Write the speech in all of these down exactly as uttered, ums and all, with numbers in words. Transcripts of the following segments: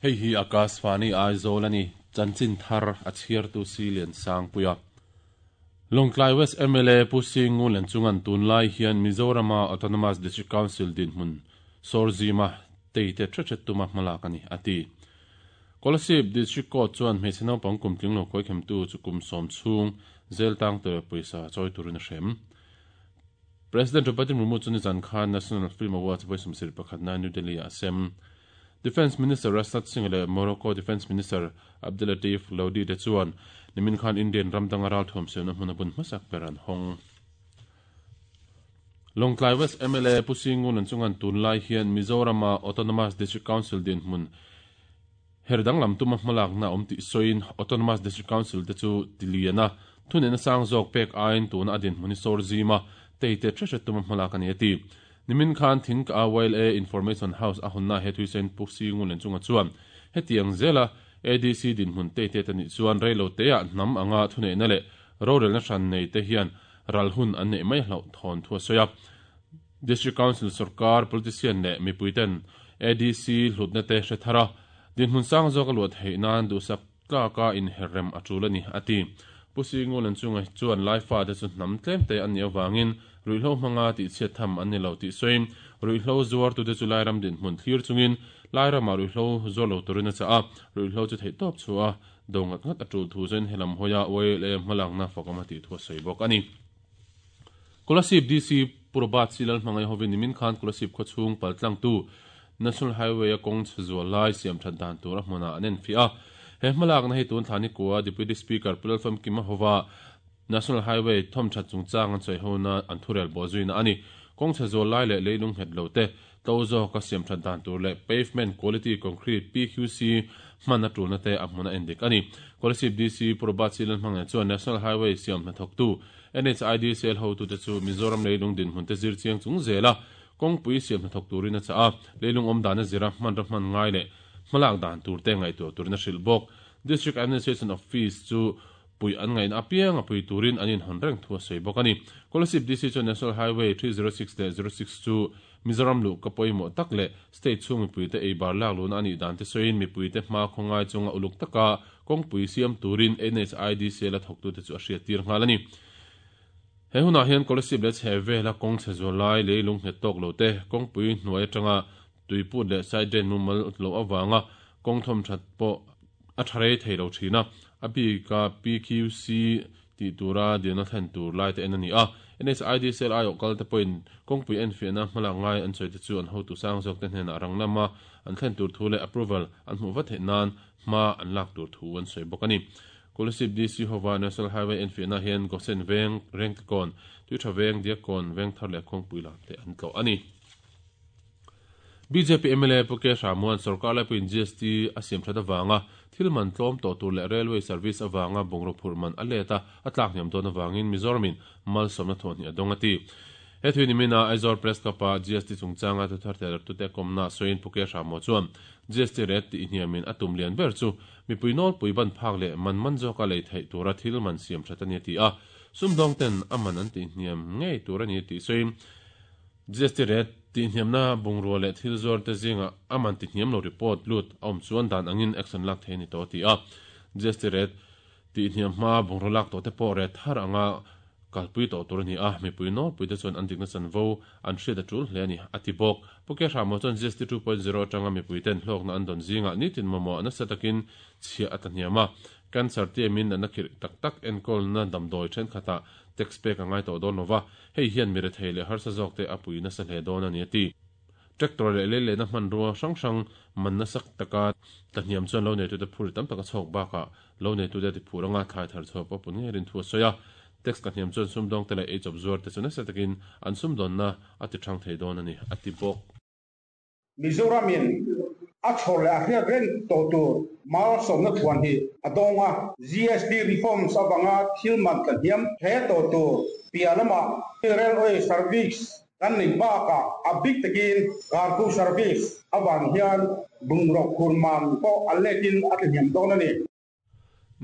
Hei hi Akashvani Aizawl ani chanchin thar a chhiartu Silian Sangpuia. Lawngtlai West M L A Pu Singu len chungan tunlai hian Mizorama Autonomous District Council din hmun Sorzima teite threchet tuma hmalak ani ati. Kolasib District Court chuan hmeichhe naupang kum tling lo khawi khemtu chu kum sawm chhung zel tang tur pawisa chawi turin a hrem. President Draupadi Murmu chu nizan khan National Film Awards vawi sawmsarih pakhatna New Delhi ah a sem. Defence Minister Rajnath Singh leh Morocco Defence Minister Abdellatif Louadi te chuan nimin khan Indian ram danga ral thuam siamna hmun a bun hmasak ber an hawng. Lawngtlai West M L A Pu Singun an chungan tunlai hian Mizorama Autonomous District Council dinhmun her danglam tuma hmalakna awm tih sawiin Autonomous District Council te chu tiliana thuneihna sang zawk pek aiin tuna a dinhmun hi sawr zima teite thre tuma hmalak ani a ti. Nimin khan Think a Y L A Information House a hawnna he thuisen Pu Singun len chunga chuan hetiang zela A D C dinhmun teite te nih chuan reilo te ah hnam anga thuneihna leh rorelna hran nei te hian ral hun an nei mai hloh thawn thu a sawi a. District Council sarkar politician leh mipuiten A D C hlutna te hre thara dinhmun sang zawk a luah theih nan duhsak tlaka inherrem a tul ani ati. Pu Singu len chunga chuan laifa te chu hnam tlem te an ni awangin ruihhlo hmanga tih chhiat tham an ni lo tih sawiin ruihhlo zuar tu te chu lairam dinhmun thlir chungin lairama ruihhlo zuar lo turin a chah a, ruihhlo chu theih tawp chu a do ngat ngat a tul thu chuan helam hawia Y L A hmalakna fakawm a tih thu a sawi bawk ani. Kolasib D C Purbat Silal hmangai hovin nimin khan Kolasib khawchhung paltlang tu National Highway a kawng chhe lai siam that dan tur a hmunah an en fi a. He hmalakna hi tun thlani kwa Deputy Speaker Pulal Kima howa National Highway thom that chungchang an choi hona an thurel bo zuina ani. Kawng chhe zual lai leh leilung het lo te to zo ka siam that dan tur leh pavement quality concrete P Q C hman a tulna te a hmuna endik ani. Kolasib D C Purbat Silal hmangai chuan National Highway siam hna thawk tu N H I D C L ho tu te chu Mizoram leilung din hmun te zir chiang chung zela kawngpui siam hna thawk turin a cha a, leilung awm dan a zira hman ra hman ngai leh hmalak dan tur te ngai tur turin a hrilh bawk. District Administration Office chu pui an ngain apiang a pui turin an in hon reng thu a sawi bawk ani. Kolasib D C chu National Highway three zero six leh zero six chu Mizoram lu ka pawimawh tak leh state chhung mipuite ei bar lak luna ani dan te sawiin mipuite hma khawngai chunga uluk taka kawngpui siam turin N H I D C la thawk tu te chu a hriat tir nghal ani. He hunah hian Kolasib leh chhe vela kawng chhe zual lai leilung nghet tawk lo te, kawngpui hnuai atanga tuiput leh side drain mumal lo awanga kawng thawm that pawh a tharei thei lo thina a bika P Q C ti tura dilna thlen tur lai te en ani a. N H I D C L aio kal te point kawngpui en fiahna hmalak ngai an sawi te chu an hotu sang zawk te hnenah rang lama an thlen tur thu leh approval an hmuh vat theih nan hma an lak tur thu an sawi bawk ani. Kolasib D C howa National Highway en fiahna hian Gosen Veng, Rengtekawn, Tuitha Veng, Diakkawn, Veng Thar leh kawngpui lam te an tlawh ani. B J P M L A Puke Ramuan sarkar laipuin G S T a siam that awanga thil man tlawm to tur leh railway service awanga bungraw phur man a leta a tlak hniam dawn awangin Mizoramin malsawmna thawhni a dawng ati. He thui nimina Aizawl Press Club a G S T chungchanga thu thar tel tu te komna soin Puke Ramo chuan G S T rate ti hniamin a tum lian ber chu mipui nawl pui ban phak leh man man zawka lei theih tura thil man siam that ani ti a, sumdawng ten aman an ti hniam ngei tur ani ti soin G S T rate ti hniamna bungrua leh thil zuar te zinga aman ti hniam lo report lut a awm chuan dan angin action lak thei ni to ti a. G S T rate ti hniam hma bungraw lak to te pawh re thar anga kalpui to tur ani a, mipui nawl pui te chuan an dikna chanvo an hriat a tul hle ani ati bawk. Puke Ramo chuan G S T two point zero atanga mipui ten hlawkna an dawn zinga nitin mamawh nasa takin chhia ata hniama cancer te min an khir tak tak enkawl na damdawi then khata tax pek angai to dawn lova, hei hian mi rethei leh harsa zawk te a pui nasa hle dawn ani ati. Tractor leh le le na hman ruwa hrang hrang man na sak taka ta hniam chuan lo nei tu te phur tam taka chhawk baka lo nei tu te ti phur anga thlai thar chhawk pawh pun nge rin thu a sawi a. Tax ka hniam chuan sumdawng te leh ei chawp zuar te chu nasa takin an sumdawn na a ti thang thei dawn ani ati bawk. Mizoramin a chhor leh a hriat reng to tur malsawmna thuan hi a dawnga G S T reforms awanga thil man tla hniam hle to tur pialama railway service kan nei baka a bik takin cargo service awang hian bungraw phur man pawh a letin a tla hniam dawn ani.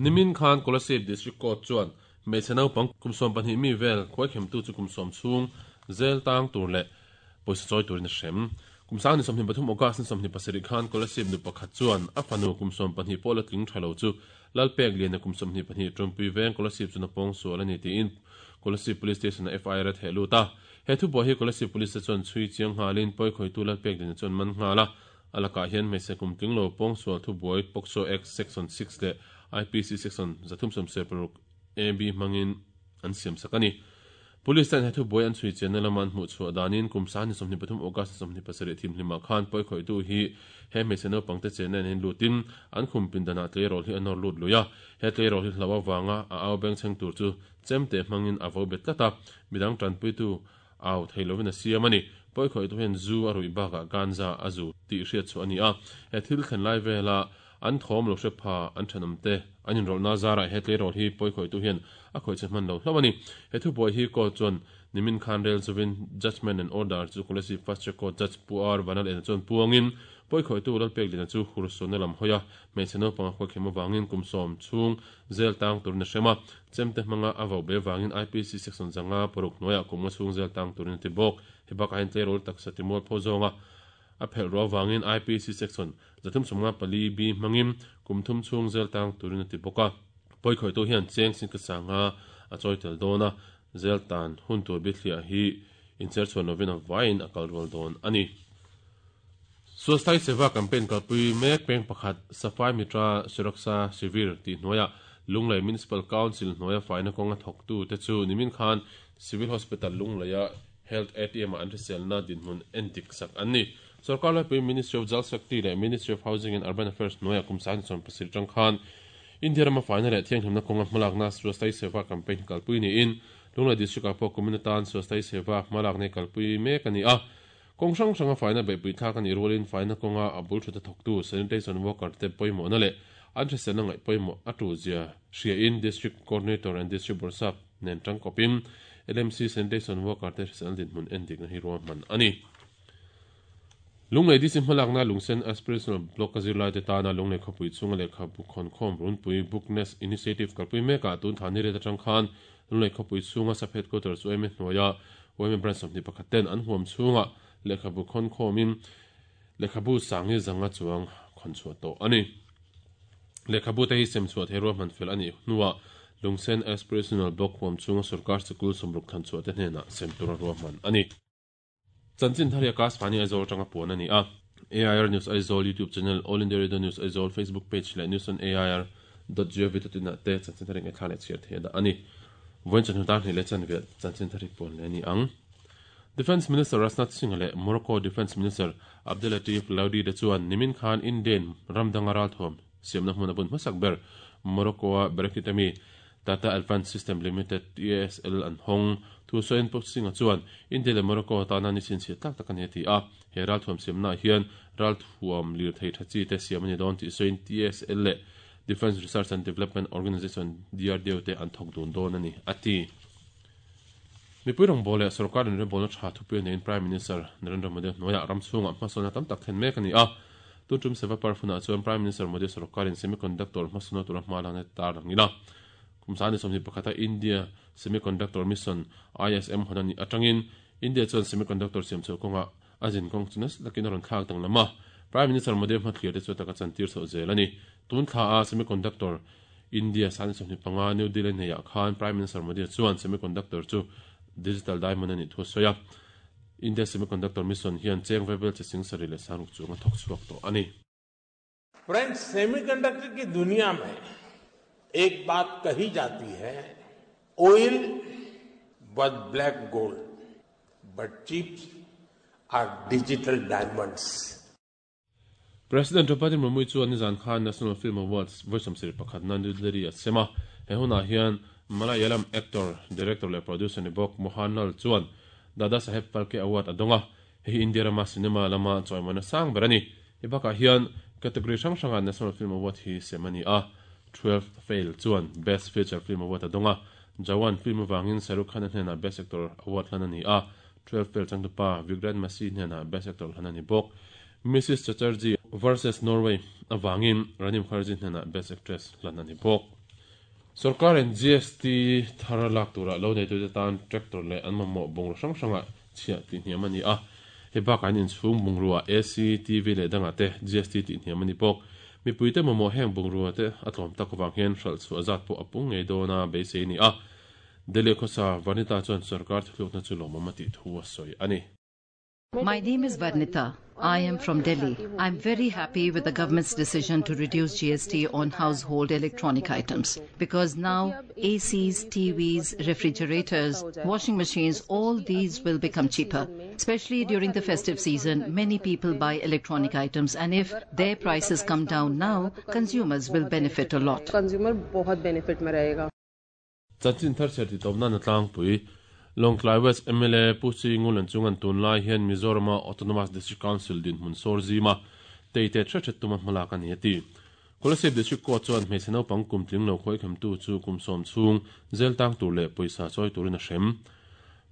Nimin khan Kolasib District Court chuan hmeichhe naupang kum sawm pahnih mi vel khawi khem tu chu kum sawm chhung zel tang tur leh pawisa chawi turin a hrem. Kum Kumsang ni somni pathum August ni somni pasarih khan Kolasib nu pakhat chuan a fanu kum sawm pahnih pawh la tling tha lo chu Lalpek lian a kum sawmhnih pahnih Tawmpui veng Kolasib chu napawng sual a ni tiin Kolasib Police Station a F I R a theh lut a. He thu pawh hi Kolasib Police te chuan chhui chiang nghalin pawi khawitu Lalpek lian chuan man nghal a. A lakah hian hmeichhe kum tling lo pawng sual thu buai POCSO Act Section six leh I P C Section zathum sawmsawm paruk A B hmangin an siam sak a ni. Police ten he thu buai an chhui chianna lama an hmuh chhuah danin kum sahni sawmhnih pathum August sawmhnih pasarih thimhlimah khan pawi khawitu hi he hmeichhe naupangte chenna in lutin an khum pindanah tleirawl hi a nawr lut lui a. He tleirawl hi hlo avanga a au beng chheng tur chu chemte hmangin a vo bet tlat a, midang tanpuitu au thei lovin a siam a ni. Pawi khawitu hian zu a ruih bakah ganja a zu tih hriat chhuah a ni a. He thil thlen lai vela an thawm lo hre pha an thenawm te an inrawlhna zarah he tleirawl hi pawi khawitu hian a khawi che hman lo hlauh a ni. He thubuai hi court chuan nimin khan rel chuvin judgment and order chu Kolasib Fast Track Court Judge Pu R Vanal ena chuan puangin pawi khawitu Lalpek Liana chu hursuanna lam hawi a, hmeichhe naupang a khawi khem avangin kum sawm chhung zel tang turin a hrem a, chemte hmanga a vo be vangin I P C section zanga paruk hnuaiah kum nga chhung zel tang turin a ti bawk. He bakah hian tleirawl taksa timual phaw zawnga a phelh ruah avangin I P C section zathum sawmnga pali B hmangin kum thum chhung zel tang turin a ti bawk a. Pawi khawitu hian cheng singkhat sanga a chawi tel dawn a, zel tan hun tur bithliah hi incher chhuan lovin a vaiin a kal rual dawn a ni. Swasthai Seva campaign kalpui mek peng pakhat Safai Mitra Suraksha Shivir tih hnuaiah Lunglei Municipal Council hnuaia faina kawnga thawktu te chu nimin khan Civil Hospital Lungleia Health A T M-ah an hriselna dinhmun endik sak an ni. Sarkar laipui Ministry of Jal Shakti leh Ministry of Housing and Urban Affairs hnuaiah kum sangni sawm pasarih tang khan India rama faina leh thianghlimna kawnga hmalakna Swasthai Seva campaign kalpui niin Lunglei District-ah pawh kumin atan Swasthai Seva hmalakna kalpui mek a ni a. Kawng hrang hranga faina beihpui thlak a nih rualin faina kawnga a bul thut a thawktu sanitation worker te pawimawhna leh an hriselna ngaih pawimawh a tu zia hriain District Coordinator and District Bawrhsap nen tangkawpin L M C sanitation worker te hriselna dinhmun endikna hi ruahman a ni. Lunglei D C hmalakna Lungsen Aspirational Block a zirlai te tana Lunglei khawpui chhunga lehkhabu khawnkhawm runpui Bookness Initiative kalpui mekah tun thla ni ret atang khan Lunglei khawpui chhunga sub headquarters U M A hnuaia U M A branch sawmhnih pakhat ten an huam chhunga lehkhabu khawnkhawmin lehkhabu sangi zanga chuang khawn chhuah tawh a ni. Lehkhabu te hi sem chhuah thei ruahman fel a nih hnuah Lungsen Aspirational Block huam chhunga sarkar sikul sawmruk thlan chhuah te hnenah sem tura ruahman a ni. Chanchin thar hi Akashvani Aizawl tanga puan a ni a. A I R News Aizawl YouTube channel, All India Radio News Aizawl Facebook page leh news on A I R dot gov dot in ah te chanchin thar hi ngaihthla leh chhiar thei a dah a ni. Vawiin chawhnu tan hnih leh chanve chanchin thar hi puan leh a ni ang. Defence Minister Rajnath Singh leh Morocco Defence Minister Abdelatif Laudi te chuan nimin khan Indian ramdanga ralthuam siamna hmun a bun hmasak ber Morocco-a Berekitami Tata Advanced System Limited T A S L an hawng. Thu sawiin Pu Singh chuan India leh Morocco tana ni chhinchhiah tlak tak a ni a ti a. He ralthuam siamnaah hian ralthuam lir thei tha chi te siam a ni dawn tih sawiin T A S L leh Defence Research and Development Organisation D R D O te an thawk dun dawn a ni a ti. Mipui rawngbâwl leh sarkar inrembawl tha thupui a neiin Prime Minister Narendra Modi hnuaiah ram chhungah hmasawnna tam tak thlen mek a ni a. Tun tum Seva Parfunah chuan Prime Minister Modi sarkarin semiconductor hmasawnna tura hma lakna tar ang ila. Kum sangni sawmhnih pakhata India Semiconductor Mission I S M hawn a nih atangin India chuan semiconductor siam chhoh kawngah a zin kawng chu nasa takin a rawn thlak danglam a. Prime Minister Modi hmathlir te chu taka chantir chhoh zel a ni. Tun thla a semiconductor India sangni sawmhnih panga New Delhi neiah khan Prime Minister Modi chuan semiconductor chu digital diamond a nih thu a sawi a. India Semiconductor Mission hian cheng vevel che sing sarih leh sangruk chung a thawk chhuak tawh a ni. Friends, semiconductor की दुनिया में एक बात कही जाती है, oil was black gold but chips are digital diamonds. President Draupadi Murmu chuan nizan khan National Film Awards vawi sawmsarih pakhatna New Delhi a sem a. He hunah hian Malayalam actor, director leh producer ni bawk Mohanlal chuan Dada Saheb Phalke Award a dawng a. Hei hi India rama cinema lama chawimawina sang ber a ni. Hi bakah hian category hrang hranga National Film Award hi sem a ni a. twelfth Fail chuan Best Feature Film Award a dawng a. Jawan film avangin Shahrukh Khan a hnenah Best Actor Award hlan a ni a. twelfth Fail changtupa Vikrant Massey hnenah Best Actor hlan a ni bawk. Missus Chatterjee versus Norway avangin Rani Mukherjee hnenah Best Actress hlan a ni bawk. Sarkar in G S T thar lak turah lo nei tute tan tractor leh an mamawh bawng hrang hrangah chhiah tih hniam a ni a. He bak an in chhung bungrua A C, T V leh danga te G S T ti hniam ani bawk. Mipuite mamawh heng bungrua te a tlawm tak awang hian hralh chu azat pawh a pung ngei dawna beisei ni a. Delhi khawsa Vanita chuan sarkar thilukna chu lawmawm a tih thu a sawi ani. My name is Varnita. I am from Delhi. I'm very happy with the government's decision to reduce G S T on household electronic items because now A Cs, T Vs, refrigerators, washing machines, all these will become cheaper. Especially during the festive season, many people buy electronic items, and if their prices come down now, consumers will benefit a lot. Consumer बहुत benefit में रहेगा. Chanchin thar cher ti tawpna na tlangpui. Lawngtlai West M L A Pu Chi Ngulan chungan tunlai hian Mizorama Autonomous District Council din hmun sawr zima teite thre thret tuma hmalak ani ati. Kolasib District Court chuan hmeichhe naupang kum tling lo khoi khem tu chu kum sawm chhung zel tang tur leh pawisa chawi turin a hrem.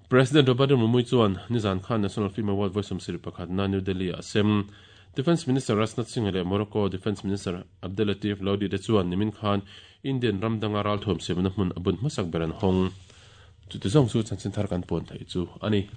President Robert Murmu chuan nizan khan National Film Award vawi sawmsarih pakhat na New Delhi a sem. Defence Minister Rajnath Singh leh Morocco Defence Minister Abdelatif Louidi te chuan nimin khan Indian ramdanga ral thuam siamna hmun abun hmasak ber an hawng. Chu ti zawng chu chanchin thar kan pawn thei chu ani.